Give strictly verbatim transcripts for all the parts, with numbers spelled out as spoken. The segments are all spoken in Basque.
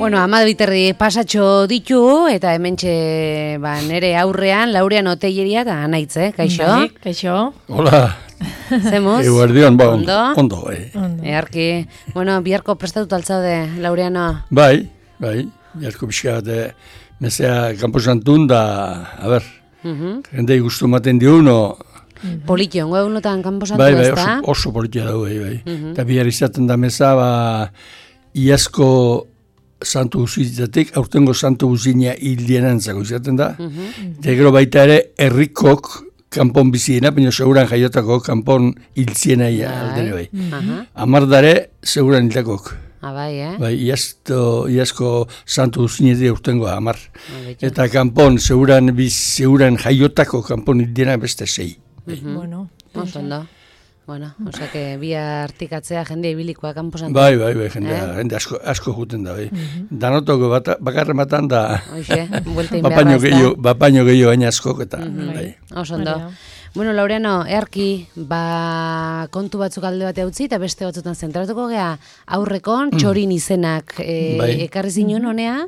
Bueno, ama biterri pasatxo ditu, eta hementxe ba, nere aurrean, Laurean Oteilleria eta anaitz, eh? Kaixo? Bai, kaixo. Hola. Zemuz? Eguerdion, ba, ondo. Ondo, bai. Earki. Bueno, biharko prestatut altzaude, Laureano? Bai, bai. Biharko pixka bat, mesea kanposantun da, a ber, jendei guztu maten diuno. Politio, ongo egunotan kanposatu bai, bai, ez da? oso, oso politia dago, bai, bai. Eta bihar izaten da meza, ba, iazko santu guzitzatik, aurtengo santu guzina hildienan-zako izaten da. Eta gero baita ere, herrikok kanpon biziena, baina seguran jaiotako kanpon hiltziena aldene bai. Amardare, seguran hiltakok. Ah, bai, eh? Bai, iazto, iazko santu guzinetik aurtengo amar. Eta kanpon, seguran, biz, seguran jaiotako kanpon hildiena beste sei. Bueno, oso ondo. Bueno, osea que bia artikatzea jende ibilikoa kanposan. Bai, bai, bai, jende, jende asko, asko juten da, bai. Danotoko bakarren batan da, Hoxe, buelta bapaino gehiago, bapaino gehiago gaina askok eta, bai. Oso ondo. Bueno, Laureano, earki, ba, kontu batzuk alde bate utzi eta beste batzutan zentratuko gea aurrekon, txorin izenak e, ekarri zinuen honea,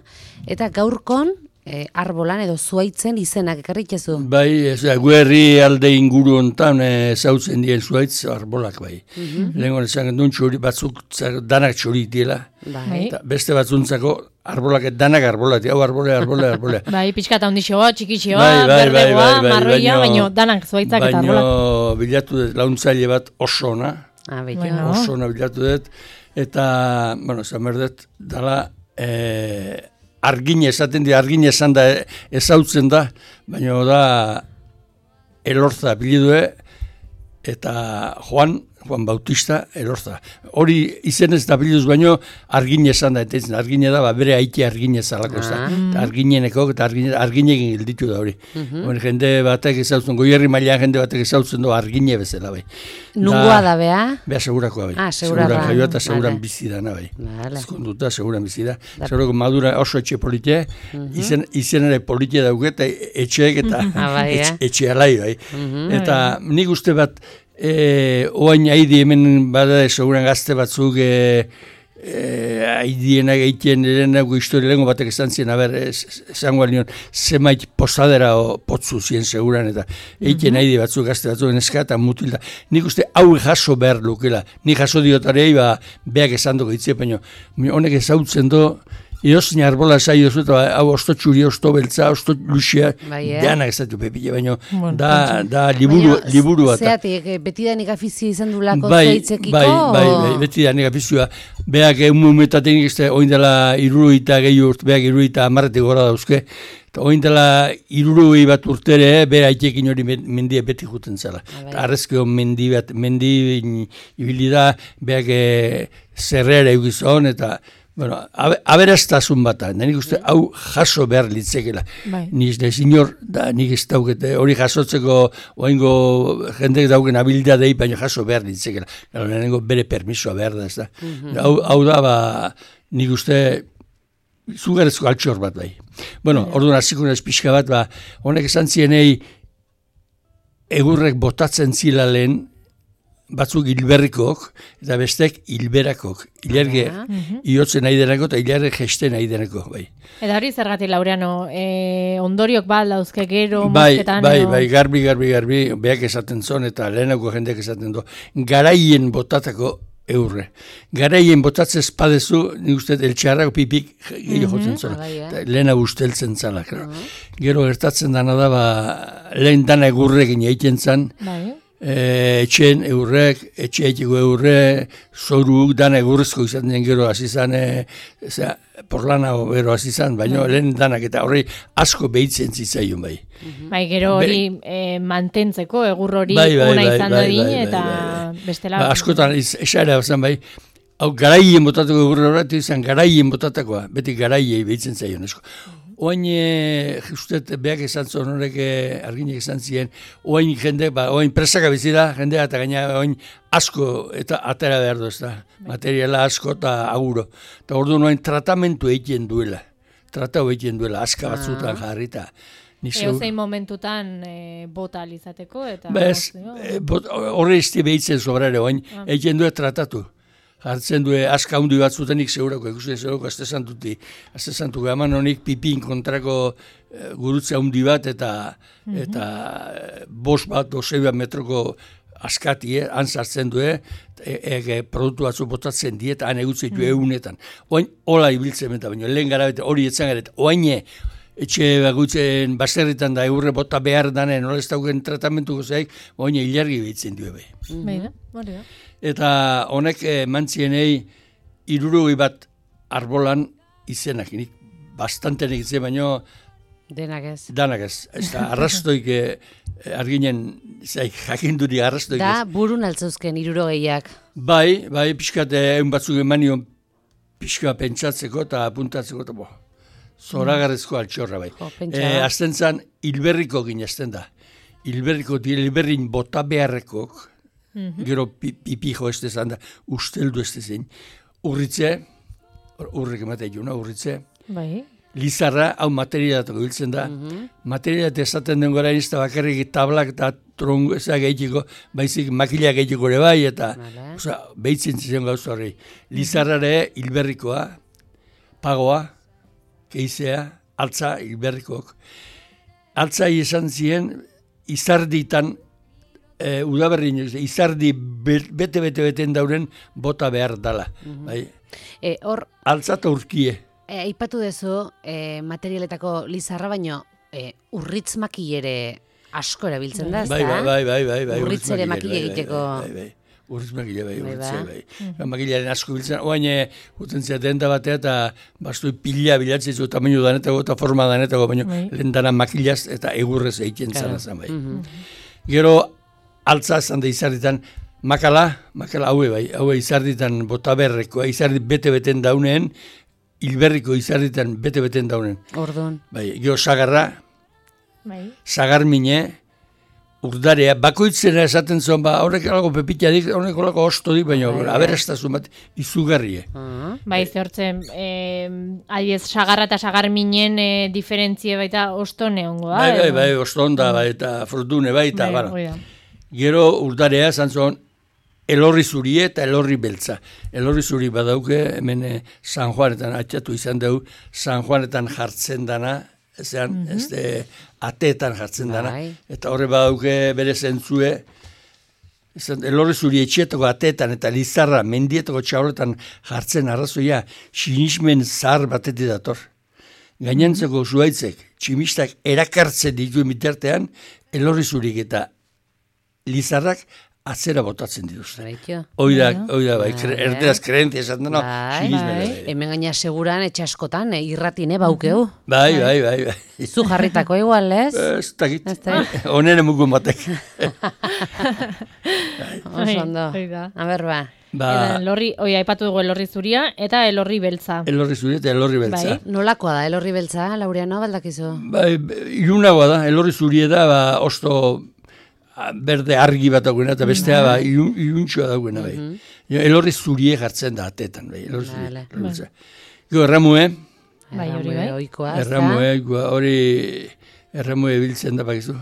eta gaurkon, E, arbolan edo zuaitzen izenak ekarritzezu. Bai, ez da, guerri alde inguru hontan zautzen dien zuaitz arbolak bai. Lehenko nesan duen txori batzuk danak txori diela. Bai. Beste batzuntzako arbolak danak arbolak, hau arbole, arbole, arbole. Bai, pixkata ondixoa, txikixoa, berdegoa, marroia, baino danak zuaitzak eta arbolak. Baino bilatu dut launtzaile bat oso ona. Ah, bueno. Oso ona bilatu dut. Eta, bueno, zan berdet, dala, eh, argine esaten di, argine esan da ezautzen da, baina da Elorza bilidue eta Juan, Juan Bautista Elorza. Hori izenez da biliduz baino argine esan da, eta argine da, ba, bere aite argine zalako ez da. Eta argineneko eta argine, arginekin gilditu da hori. Bueno, jende batek ezautzen, goierri mailean jende batek ezautzen du argine bezala bai. Nungoa da, bea? Bea segurakoa bai. Ah, segurakoa. Seguran jaioa eta seguran bizi dana bai. Ezkonduta, seguran bizi da. Segurako madura oso etxe politia, izen, izenere politia dauke eta etxeek eta etxe alai bai. Eta nik uste bat, E, oain haidi hemen bada seguran gazte batzuk e, e, haidienak egiten erenako historia lehenko batek esan ziren, haber, esango alion, zemait posadera o potzu ziren seguran, eta egiten mm-hmm. haidi batzuk gazte batzuk neska eta mutilda. Nik uste hau jaso behar lukela. Nik jaso diotarei, ba, beak esan dugu ditzea, baina honek ezautzen do, Eozin arbola saio zu, eta hau osto txuri, osto beltza, osto luxia, deanak ez dut pepile, baina da, da liburu, liburu bat. Zeatik, beti da nik afizio izan du lako bai, zuaitzekiko? Bai, bai, bai, beti da nik afizioa. Beak egun momentatik ez oin dela iruruita gehi urt, beak iruruita amarretik gora dauzke, eta oin dela irurui bat urtere, bera aitekin hori mendia beti juten zela. Arrezkeo mendi bat, mendi ibili da, beak zerrera egizon, eta bueno, aberastazun bata, nik uste hau jaso behar litzekela. Nik ez inor, da nik ez daukete, hori jasotzeko oaingo jendek dauken habilidadei, baina jaso behar litzekela. Nengo bere permisoa behar da, ez da. Hau da, ba, nik uste zugarezko altxor bat bai. Bueno, orduan hasiko naiz pixka bat, ba, honek esan zienei egurrek botatzen zila lehen, batzuk hilberrikok, eta bestek hilberakok. Hilarge iotzen nahi denako, eta hilarge gesten nahi denako, bai. Eta hori zergatik, Laureano, e, ondoriok bat dauzke gero, bai, mosketan? Bai, bai, garbi, garbi, garbi, beak esaten zon, eta lehenako jendeak esaten du, garaien botatako eurre. Garaien botatzez padezu, nik uste, eltxarrako pipik gehiago jotzen zona. Lehena usteltzen zala. Gero gertatzen dana da, ba, lehen dana egurrekin egiten zan, E, etxen eurrek, etxe etxeko eurre, zoruk, dana egurrezko izan den gero azizan, e, porlana gero azizan, baina lehen danak eta horri asko behitzen zitzaion bai. Bai, gero hori mantentzeko, egur hori ona izan dadin, eta bestela... Askotan, esaera bazan bai, hau garaien botatako egurre horretu izan, garaien botatakoa, beti garaiei behitzen zaion esko. Oain, justet, beak esan zuen horrek arginek esan ziren, oain jende, ba, oain presaka bizira, jendea eta gaina oain asko eta atera behar du ez da, materiala asko eta aguro. Eta orduan oain tratamentu egiten duela, tratau egiten duela, aska batzutan jarrita. Eo zein momentutan bota alizateko eta... Bez, horre izti behitzen sobrare, oain egiten duela tratatu. jartzen du, aska hundi bat zutenik segurako, ikusten segurako, azte santuti, azte santu gaman honik pipin kontrako e, gurutze hundi bat, eta, mm-hmm. eta bos bat, osei bat metroko askati, eh, han sartzen du, e, e, produktu batzu botatzen diet, han egutzen du egunetan. Oain, hola ibiltzen benta, baina lehen gara bete, hori etzan gara, oaine, etxe bagutzen baserritan da eurre bota behar danen, nola ez dauken tratamentuko zeik, oaine hilargi behitzen du ebe. Beira, hori da. Eta honek eh, mantzienei hirurogei bat arbolan izenak, nik bastante negitzen, baino denak ez. Danak ez. Ez da, arrastoik eh, arginen, zaik, jakinduri arrastoik ez. Da, burun altzauzken hirurogeiak. Bai, bai, pixkat egun batzuk emanion pixka pentsatzeko eta apuntatzeko, eta bo, zoragarrezko altxorra bai. Jo, e, azten zan, hilberriko ginezten da. Hilberriko, hilberrin bota beharrekok, mm-hmm. gero pipijo ez dezan da, usteldu ez dezen. Urritze, urrik ematea juna, urritze. Bai. Lizarra, hau materialatako biltzen da. Mm-hmm. Materialat esaten den gora izta bakarrik tablak eta trongo ezak egiteko, baizik makilak egiteko ere bai, eta oza, behitzen ziren gauza horri. Lizarrare hilberrikoa, pagoa, keizea, altza hilberrikoak. Altza izan ziren, izarditan, e, udaberri, izardi bete-bete-beten dauren bota behar dala. Mm-hmm. Bai? E, or... Altza eta urkie. E, Aipatu dezu, e, materialetako lizarra, baino e, urritz makilere asko erabiltzen da, ez bai, da? Bai, bai, bai, bai. Urritz ere makile egiteko. Bai, bai, bai. Urritz makile, bai, urritz bai. bai. Makilaren asko biltzen, oain guten zeaten da batea, eta bastui pila bilatzen zu tamaino danetako eta forma danetako, baina bai. Lehen dana makilaz eta egurrez egiten zara zen, bai. Mm-hmm. Gero, altza zan da izarditan, makala, makala haue, bai, haue izarditan botaberrekoa, izardit bete-beten dauneen, hilberriko izarditan bete-beten daunen. Orduan. Bai, gero sagarra, bai. Sagarmine, urdarea, bakoitzera esaten zuen, ba, horrek alago pepitadik, horrek alago ostodik, baina bai, aberastazun bat izugarrie. Uh-huh. Bai, zehortzen, eh, adiez, sagarra eta sagarminen eh, diferentzie baita ostone hongo da. Bai, bai, bai, ostonda, bai, eta frutune, bai, eta, bai, bara. Gero urdarea, zantzon, elorri zurie eta elorri beltza. Elorri zuri badauke, hemen San Juanetan atxatu izan dugu, San Juanetan jartzen dana, ezean, mm-hmm. ez de, ateetan jartzen dana, bai. Eta horre badauke bere zentzue, ezen, elorri zuri etxetako ateetan eta lizarra mendietako txauletan jartzen arrazoia, sinismen zahar batetik dator. Gainantzeko zuaitzek, tximistak erakartzen dituen bitartean, elorri zurik eta lizarrak atzera botatzen dituzte. Oida, oida, bai, erderaz kreentia esaten dena, sinismena. Bai, hemen gaina seguran, etxaskotan, irratine baukeu. Bai, bai, bai, bai. Zu jarritako igual, ez? Ez dakit, honen emugun batek. Oso ondo, a ber, ba. Ba, elorri, oi, aipatu dugu elorri zuria eta elorri beltza. Elorri zuria eta elorri beltza. Bai. Nolakoa da elorri beltza, Laureano, baldakizu? Bai, ilunagoa da, elorri zuria da, ba, osto berde argi bat dagoena, eta bestea ba, iluntxoa dagoena, bai. Mm-hmm. Elorri zurie jartzen da atetan, bai. Elorri zurie. Bai. Gero, erramue. Bai, hori bai. Oikoa, erramue, hori erramue biltzen da, bakizu.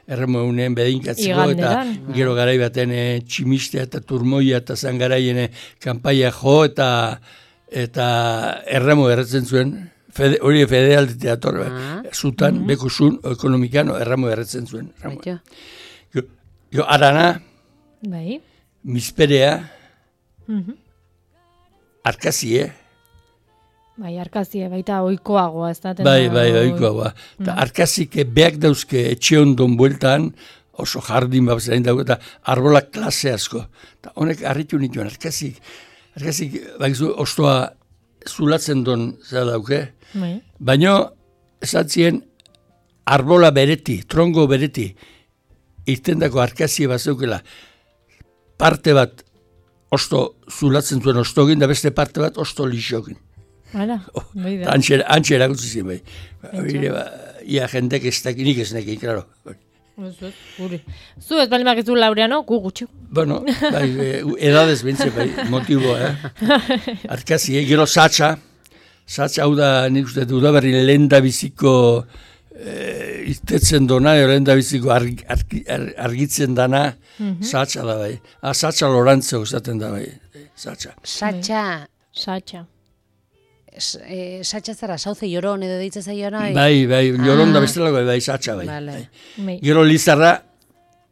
Erramue unean bedinkatzeko, eta gero garai baten e, tximistea eta turmoia eta zangaraien kanpaia jo, eta eta erramue erretzen zuen. Fede, hori federal teatro, ah. Zutan, mm-hmm. Bekusun, ekonomikano, erramo erretzen zuen. Jo, jo, arana, bai. Misperea, mm-hmm. Arkazie. Bai, arkazie, baita oikoagoa, ez da? Bai, bai, oikoagoa. Mm-hmm. Arkazik beak dauzke etxe ondon bueltan, oso jardin bat zain dago, eta arbolak klase asko. Ta honek harritu nituen, arkazik, arkazik, bakizu, ostoa zulatzen don zera dauke, bai. Baina esatzien arbola bereti, trongo bereti, irtendako arkazie bat zeukela, parte bat osto zulatzen zuen ostogin, da beste parte bat osto lixokin. Hala, oh, antxe erakutzi zien bai. Ba, ia jendek ez dakinik ez nekin, klaro. Zu ez bali makizu Laureano, gu gutxu. Bueno, bai, edadez bintze, bai, motiboa, eh? Arkazi, eh? Gero satxa, satxa hau da, nik uste, udaberri lehen da biziko eh, iztetzen dona, lehen da biziko arg, arg, arg, argitzen dana, mm-hmm. Satxa da, bai. Ah, satxa lorantzeo usaten da, bai. satxa. Satxa. Satxa. Satxa zara, sauze joron edo deitza zaio nahi? Bai, bai, joron da bestelako, bai, satxa, bai. Gero Lizarra,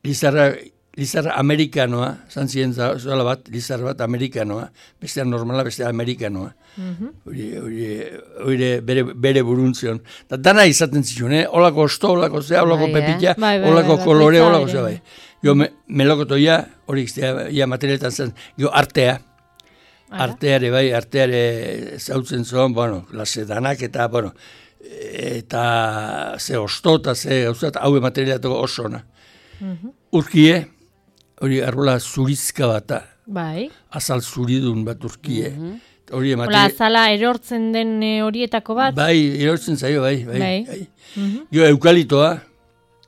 Lizarra, Lizarra amerikanoa, zantzien zola bat, Lizarra bat amerikanoa, bestea normala, bestea amerikanoa. Hori bere buruntzion. Dana izaten zituen, eh? Olako osto, olako zea, olako pepita, olako kolore, olako zea, bai. Jo, melokotoia, hori ia materialetan zen, jo, artea. Arteare, bai, arteare zautzen zuen, bueno, lase danak eta, bueno, eta ze osto eta ze gauzat, hau materialetuko oso ona. Urkie, hori arrola zurizka bata, azal zuridun bat urkie. Hola, azala erortzen den horietako bat? Bai, erortzen zaio, bai, bai. Jo, eukalitoa.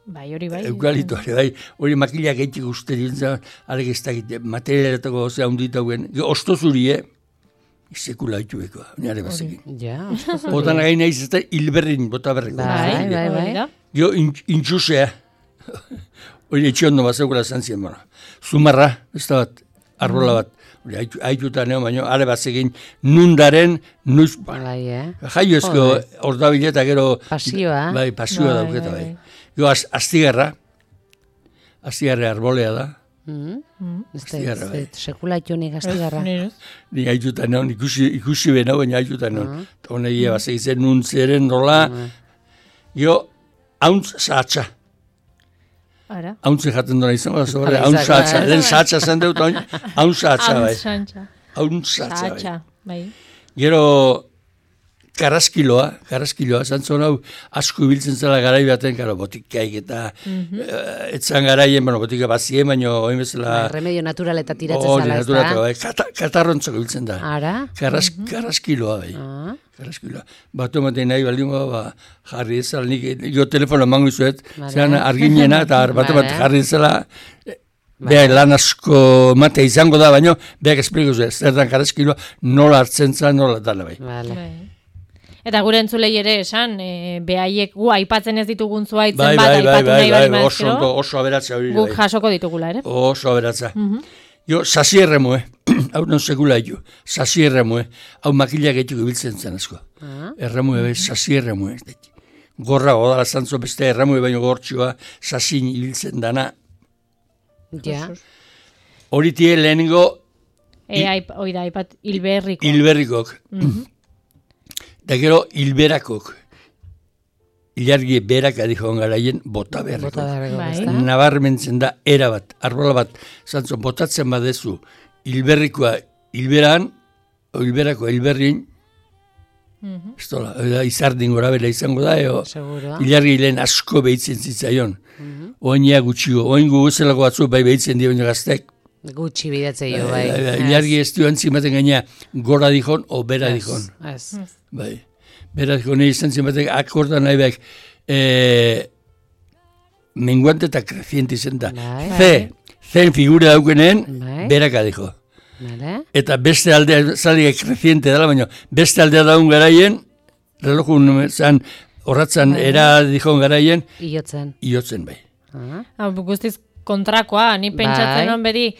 Bai, hori bai. Eukalitoa, bai. Hori makilak eitik uste dintzen, arek ez dakit, materialetako gozea hundita guen. Jo, osto zurie, sekula haitu beko, nire bazekin. Ja, osto zurie. Botan again nahiz ez da, hilberrin, bota berreko. Bai, bai, bai. Jo, intxusea. Hori etxe ondo bat zeukela zantzien, bueno. Zumarra, ez da bat, arrola bat. Hori haituta neo, baina, are bat zegin, nundaren, nuiz, bai, eh? Jaio ezko, ordabileta gero... Pasioa. Bai, pasioa dauketa, bai. Jo, astigarra, astigarra arbolea da. Astigarra, bai. Sekula itonik astigarra. Ni haituta neo, ikusi bena, baina haituta neo. Eta honegia bat zegitzen nuntzeren nola. Jo, hauntz saatxa. Ara. Hauntze jaten duna izan, hauntz saatxa. Den saatxa zen dut, hauntz saatxa, bai. Hauntz saatxa, bai. Gero, Karaskiloa, karaskiloa, zantzon hau asko ibiltzen zela garai baten, karo, botikaik eta etzan garaien, bueno, botika bazien, baina oin bezala... Remedio naturaleta tiratzen zela, ez da? Bai, katarrontzako ibiltzen da. Ara? Karaskiloa, bai. Karaskiloa. Batu ematen nahi baldin ba, jarri ezala, nik jo telefono mango izuet, zean arginena eta batu bat jarri ezala... Beha, lan asko mate izango da, baina beak espliko zuen, zer dan karaskiloa, nola hartzen zan, nola dala, bai. Eta gure entzulei ere esan, e, behaiek gu aipatzen ez ditugun zuaitzen bai, bat, bai, aipatu bai, nahi bari bai, oso, oso aberatza hori. Guk jasoko ditugula, ere? Oso aberatza. Uh -huh. Jo, sasi erremue, hau non sekula jo, sasi erremue, hau makilak etuko biltzen zen asko. Uh -huh. Erremue, uh -huh. sasi erremue. Gorra, odala zantzo beste erremue baino gortxoa, sasin ibiltzen dana. Ja. Hori tie lehenengo... E, hoi da, aipat, hilberrikok. Hilberrikok. Da gero hilberakok, ilargi beraka dihoan garaien bota berriko. Nabarmentzen da erabat, arbola bat, zantzo, botatzen badezu hilberrikoa hilberan, hilberako hilberrin, ez dola, izardin gora bela izango da, eo, ilargi lehen asko behitzen zitzaion. Oinia gutxiko, oin guguzelako batzu bai behitzen dio gaztek. Gutxi bidatzei jo, bai. Ilargi ez duan zimaten gaina gora dihon o bera dihon. Ez, ez. Bai, beraz, gone izan zimatek akorda nahi behak menguante eta kreciente izan da. Z, zen figura daukenen, beraka dijo. Eta beste aldea, zalia kreciente dela, baina beste aldea daun garaien, relojun zan, horratzan era dihon garaien, iotzen. Iotzen, bai. Guztiz kontrakoa, ni pentsatzen hon bedi,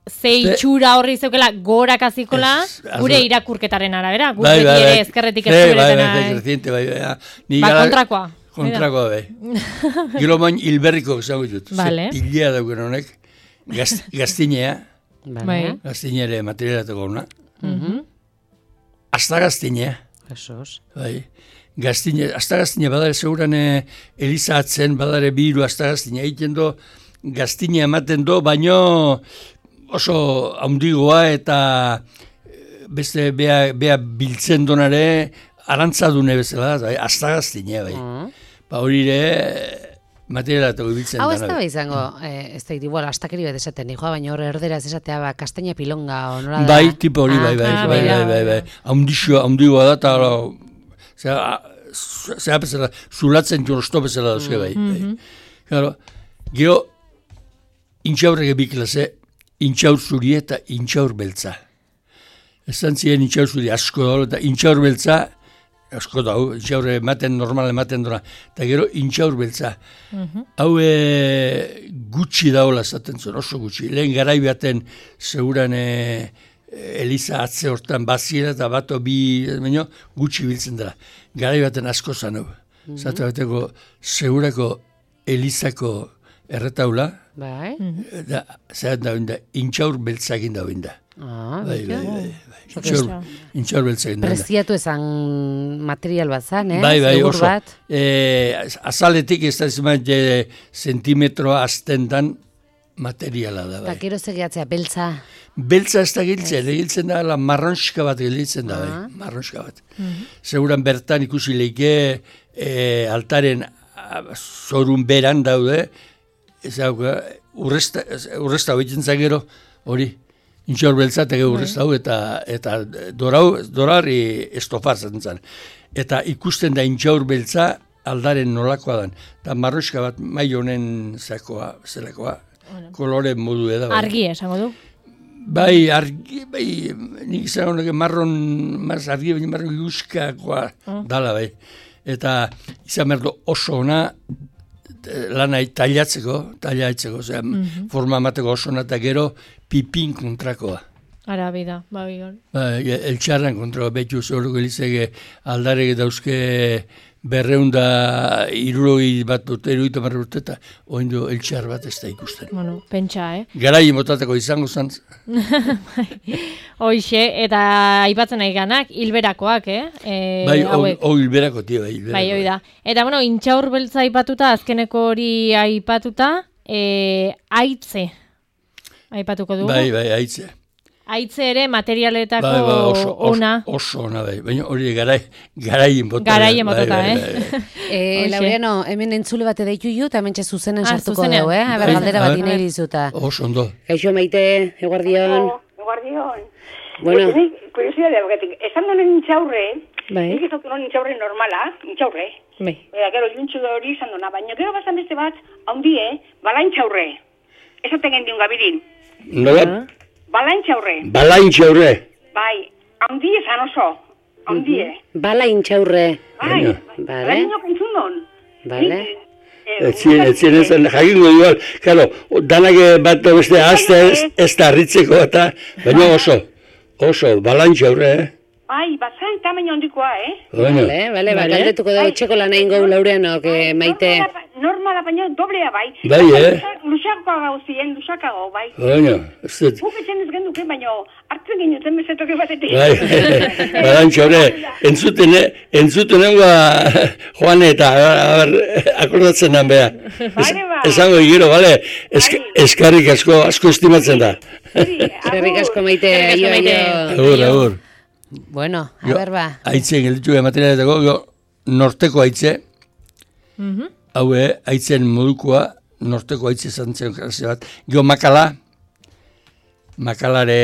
ze itxura horri zeukela gorak azikola, gure irakurketaren arabera, gure beti ere ezkerretik ezkuretena. Ba, kontrakoa. Kontrakoa, bai. Gilo main hilberriko esango dut. Pilea dauken honek, gaztinea, gaztinere materialatako hona. Azta gaztinea. Esos. Bai. Gaztinea, azta gaztinea, badare seguran Eliza atzen, badare biru azta gaztinea, egiten do, gaztinea ematen do, baino oso haundigoa eta beste bea, bea biltzen donare arantzadune bezala, bai, azta gaztinea, bai. Ba hori ere materialatako biltzen dana. Hau ez da bai izango, ez da, igual, astakeri bat esaten, nijoa, baina horre erderaz esatea, ba, kastaina pilonga, o nola da? Bai, tipo hori, bai, bai, bai, bai, bai, bai, haundixoa, haundigoa da, eta zera bezala, zulatzen jorosto bezala dauzke, bai. Gero, gero, intxaurrege biklase, intxaur zuri eta intxaur beltza. Ezan ziren intxaur zuri asko da, eta intxaur beltza, asko da, intxaur ematen, normal ematen dora, eta gero intxaur beltza. Hau gutxi daola zaten zuen, oso gutxi. Lehen garai baten, seguran Eliza atze hortan baziera eta bato bi, baino, gutxi biltzen dela. Garai baten asko zanu. Mm -hmm. Zatu bateko, segurako Elizako erretaula, bai. da, zer da binda, intxaur beltzakin da binda. Ah, bai, bai, bai, bai. Intxaur beltzakin da. Preziatu ezan material bat zan, eh? Bai, bai, Segur oso. Bat. E, azaletik ez da izan zentimetroa aztendan materiala da, bai. Eta kero zegiatzea, beltza? Beltza ez da giltzen, egiltzen da, la marronxka bat giltzen da, bai, marronxka bat. Mm-hmm. Seguran bertan ikusi leike e, altaren zorun beran daude, ez da, urresta, urresta hau gero, hori, intxor beltza eta urresta hau, eta, eta dorau, dorari estofar zen. Eta ikusten da intxaur beltza aldaren nolakoa dan. Eta marronxka bat mai honen zakoa, zelakoa, kolore modu eda. Bai. Argi esango du? Bai, argi, bai, nik izan honek marron, maz argi, baina marron luskakoa oh. dala, bai. Eta izan merdo oso ona lana tailatzeko, tailatzeko, ozera, mm -hmm. forma amateko oso ona eta gero pipin kontrakoa. Ara, bida, bai, bai. Ba, eltxarran kontrakoa, betu zoroko elizege aldarek dauzke berreunda iruroi bat dute, iruita marra urte, eta oindu eltxar bat ez da ikusten. Bueno, pentsa, eh? Garai motateko izango zantz. Hoixe, eta aipatzen nahi ganak, hilberakoak, eh? E, bai, o hilberako, tio, bai, hilberako. Bai, hoi da. Eta, bueno, intxaur beltza aipatuta, azkeneko hori aipatuta, e, aitze, aipatuko dugu. Bai, bai, aitze. Aitze ere materialetako bai, bai, oso, ona. Oso, oso ona, bai. Baina hori garai, garaien bota. Garaien botota, bai, bai, eh? Bai, eh Laureano, hemen entzule bat edaitu ju, eta hemen zuzenen ah, sartuko dugu, eh? Aber, galdera bat inai dizuta. Oso, ondo. Kaixo, Maite, eguardion. Eguardion. Bueno. Kuriosidade, esan donen intxaurre, bai. nik ez dut intxaurre normala, intxaurre. Bai. Eta gero, juntxu da hori izan duna, baina gero bazan beste bat, haundie, bala intxaurre. Ez aten gendiun gabirin. Nola? Bala intxaurre. Bala intxaurre. Bai, haundie zan oso, haundie. Bala intxaurre. Bai, bale. Bala inok entzun don. Bale. Etzien, etzien ezan, jakingo dual, karo, danak bat beste azte ez da harritzeko eta, baina oso, oso, bala intxaurre, eh? Bai, bazan tamaino handikoa, eh? Bueno. Bale, bale, bale, galdetuko dago etxeko lan egin gau Laureano, que Maite. Normala, baina doblea, bai. Bai, eh? Luxakoa gauzien, luxakago, bai. Bueno, ez dut. Guk etxen ez genduke, baina hartzen ginuten bezetoke batetik. Bai, balantxo, hori, entzuten, entzuten nengoa Juan eta, a ber, akordatzen nan beha. Bale, ba. Esango egiro, bale, eskarrik asko, asko estimatzen da. Eskarrik asko Maite, aio, aio. Agur, agur. Bueno, a ber, ba. Aitzen, gelditu ega materialetako, norteko aitze, haue, aitzen modukoa, norteko aitze zantzen klase bat, gio makala, makalare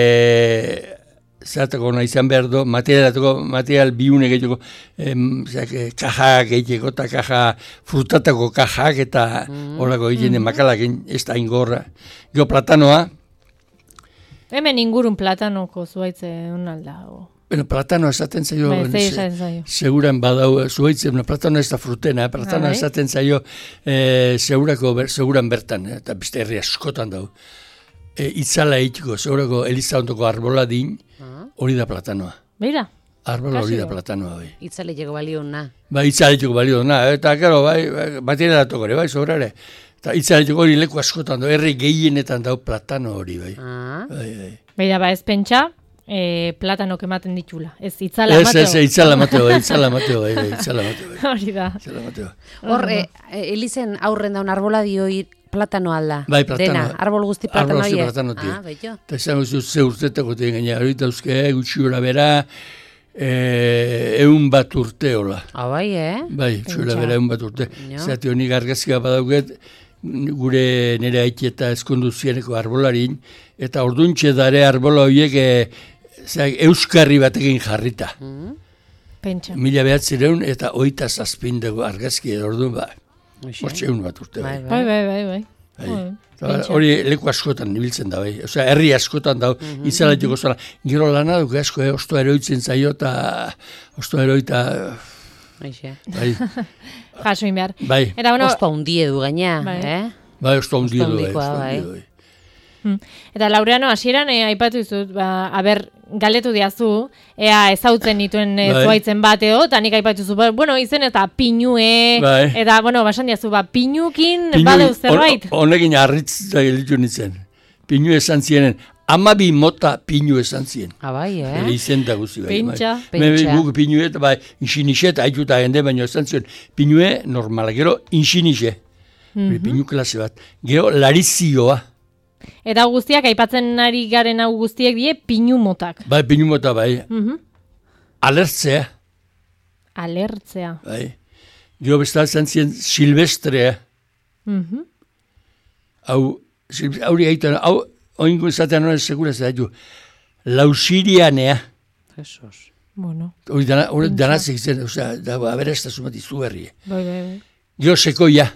zeratako nahi izan behar du, materialetako, material biune gehiago, kajak egiteko, eta kaja, frutatako kajak, eta horako egiten makalak ez da ingorra. Gio platanoa. Hemen ingurun platanoko zuaitze unalda, Bueno, platano esaten zaio, seguran badau, zuaitzen, bueno, platano ez da frutena, platano esaten zaio, segurako, seguran bertan, eta beste herri askotan dau. Itzala egiteko, segurako Eliza ondoko arbola din, hori da platanoa. Beira? Arbola hori da platanoa, bai. Itzala egiteko balio na. Ba, itzala egiteko balio na, eta, karo, bai, batera datoko, bai, sobrare. Eta itzala egiteko hori leku askotan dau, herri gehienetan dau platano hori, bai. Bai, bai. Beira, ba, ez pentsa, E, platanok ematen ditula. Ez, itzala mateo. Ez, ez, itzala mateo, itzala mateo, itzala mateo. Hori da. Itzala mateo. Hor, Elizen aurren daun arbola dio platano alda. Bai, platano. Dena, arbol guzti platano hie. Arbol guzti platano tie. Ah, beito. Eta izan guzti ze urtetako tien gaina, hori dauzke, gutxi gora bera, eun bat urteola. Ah, bai, eh? Bai, gutxi gora bera eun bat urte. Zati honik argazkia badauket, gure nire haiti eta eskondu zieneko arbolarin, eta orduntxe dare arbola horiek euskarri batekin jarrita. Pentsa. Mila behatzireun eta oita zazpindego argazki orduan, ba, hortxe egun bat urte. Bai, bai, bai, bai. Hori leku askotan nibiltzen da, bai. Osea, herri askotan da, izalatiko zela. Gero lana duk asko, eh, ostoa eroitzen zaio eta ostoa eroita... Bai. Jasoin behar. Bai. Ostoa hundie du gaina, eh? Bai, ostoa hundie du, bai. Eta Laureano, hasieran eh, aipatu izut, ba, aber, galdetu diazu, ea ezautzen dituen bai. Zuaitzen bat edo, eta nik aipatuzu, bueno, izen eta pinue, bai. Eta, bueno, basan diazu, ba, pinukin Pinu, badeu zerbait. Honekin arritz da gelitu nintzen. Pinu esan zienen, amabi mota pinu esan zien. Abai, eh? Ere izen da guzi bai. Pintxa. Pintxa. Guk pinue, eta bai, inxinixet, haituta gende, baina esan zuen, pinue normala, gero inxinixe. Mm-hmm. Pinu klase bat. Gero larizioa. Eta guztiak, aipatzen ari garen hau guztiek die, pinu motak. Bai, pinu mota, bai. Mm-hmm. Alertzea. Alertzea. Bai. Gero bestal zantzien silvestrea. Mm-hmm. Hau, hauri aitan, hau, oingo izatean hori seguraz da, du, lausirianea. Jesus. Bueno. Hori dana, hori danazik zen, osea, da, aberastazun bat izu berri. Bai, bai, bai. Gero sekoia.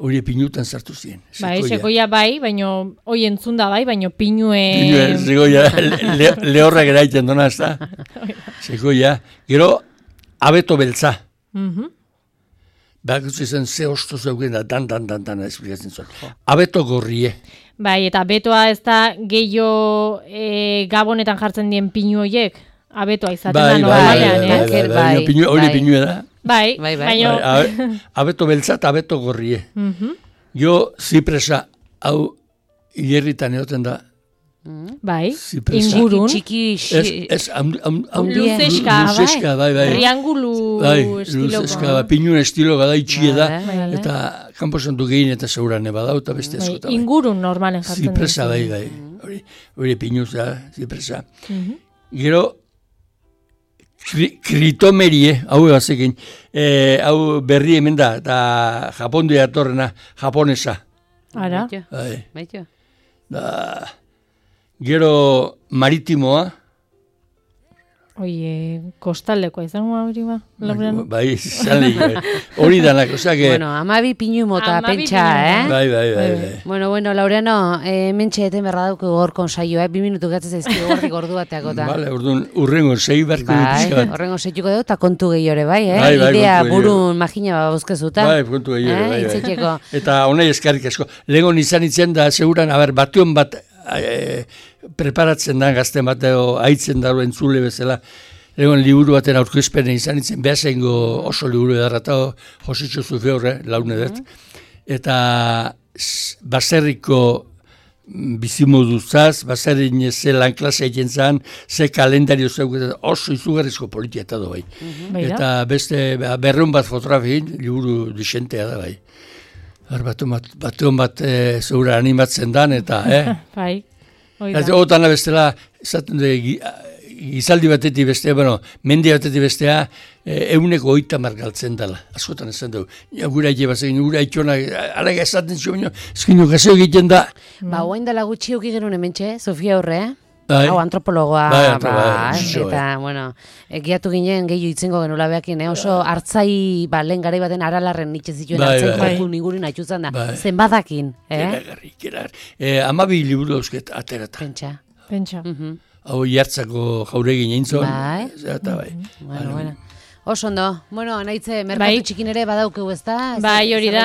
Hori pinutan sartu ziren. Bai, sekoia bai, baino, hoi entzunda bai, baino pinue... Pinue, sekoia, le, lehorrak eraiten dona, ez da? Sekoia. Gero, abeto beltza. Mm-hmm. Bakutzu izan, ze osto zeugen da, dan, dan, dan, dan, esplikatzen zuen. Abeto gorrie. Bai, eta abetoa ez da gehiago e, gabonetan jartzen dien pinu horiek? Abetoa izaten bai, da, bai, no? Bai, bai, bai, bai, bai, bai, hori pinue da. Bai, bai, bai. Baino... Abeto beltza eta abeto gorrie. Mm-hmm. Jo, zipresa, hau, hierritan egoten da. Bai, zipresa. Ingurun. Txiki, txiki. Ez, ez, am, am, am, luzeska, luzeska, bai, bai. Triangulu bai, estiloko. Luzeska, bai, pinuen estilo gada itxie da. Bai, bai. Eta kanposantu gehin eta zeuran ebadau eta beste bai, askota. Bai. Ingurun normalen jartzen. Zipresa, bai, bai. Hori, hori pinuza, zipresa. Mm-hmm. Gero, Kri, kritomerie, hau egazekin, e, hau berri hemen da, eta Japondu atorrena, japonesa. Ara? Bai. Da, gero maritimoa. Oie, kostaldekoa izango hori ba? Bai, izan bai. Hori danak, osea que... Bueno, amabi pinu mota pentsa, eh? Bai, bai, bai, bai. Bueno, bueno, Laureano, eh, mentxe eten berra dauku gorkon saio, eh? Bi minutu gatzez ezki gordik ordu bateako ta. Vale, orduan, urrengo sei barko bai, dut. Urrengo seituko dut, eta kontu gehiore, bai, eh? Bai, bai, idea burun magina ba bozkezuta. Bai, kontu gehiore, bai, bai. Itzetxeko. Eta honai eskarrik asko. Legon izan itzen da, seguran, haber, batuan bat e, preparatzen da, gazten bat, haitzen daro entzule bezala, Egon liburu baten aurkezpenen izan itzen, behazengo oso liburu edarrata, Jositxo Zufeorre, laune dut. Eta baserriko bizimoduzaz, baserrin ze lan klasea egin zen, ze kalendario zeugetan, oso izugarrizko politia eta do bai. Mm-hmm. Eta beste berreun bat fotografien, liburu disentea da bai. Batuan bat, batu bat e, zeura animatzen dan, eta, eh? Bai, oida. Otana bestela, esaten de, gizaldi batetik bestea, bueno, mendi batetik bestea, euneko oita margaltzen dela. Askotan esan dugu. Ja, gura ite bazen, gura itxona, alaga esaten zio, baina, ezkino, gazeo egiten da. Ba, oain dela gutxi euki genuen hementxe, Sofia Horre, eh? Hau, antropologoa, bai, ba, eta, bueno, egiatu ginen gehiu itzengo genula behakin, eh? Oso hartzai, ba, lehen garai baten aralarren nitxe zituen hartzai jokun ingurin haitxuzan da. Zen badakin, eh? Keragarri, keragarri. Amabi liburu dauzket aterata. Pentsa. Pentsa. Hau jartzako jauregin egin zuen. Bai. Eta bai. Bueno, bueno. Oso ondo. Bueno, naitze, merkatu bai. Txikin ere badaukeu ez da? Bai, hori da.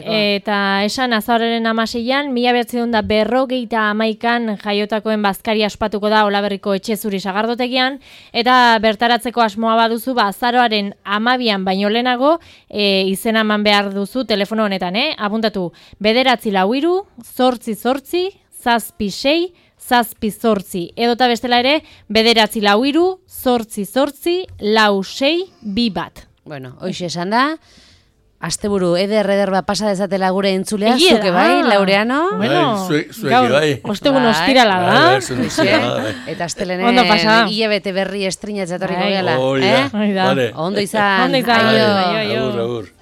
Eta esan azauraren amaseian, mila behatzen da berrogeita amaikan jaiotakoen bazkari aspatuko da Olaberriko etxe zuri sagardotegian, eta bertaratzeko asmoa baduzu, ba, azaroaren amabian baino lehenago, e, izena eman behar duzu telefono honetan, eh? Apuntatu, bederatzi lau hiru, zortzi zortzi, zazpi sei, zazpi zortzi, edota bestela ere, bederatzi lau hiru, zortzi zortzi, lau sei, bi bat. Bueno, hoxe esan da, asteburu eder eder bat pasa dezatela gure entzulea, zuke bai, Laureano? Bueno, gaur, ostegun ostirala da. Eta astelenen hilabete berri estrinatzatorriko gehala. Ondo izan. Ondo izan. Aio. Agur, agur.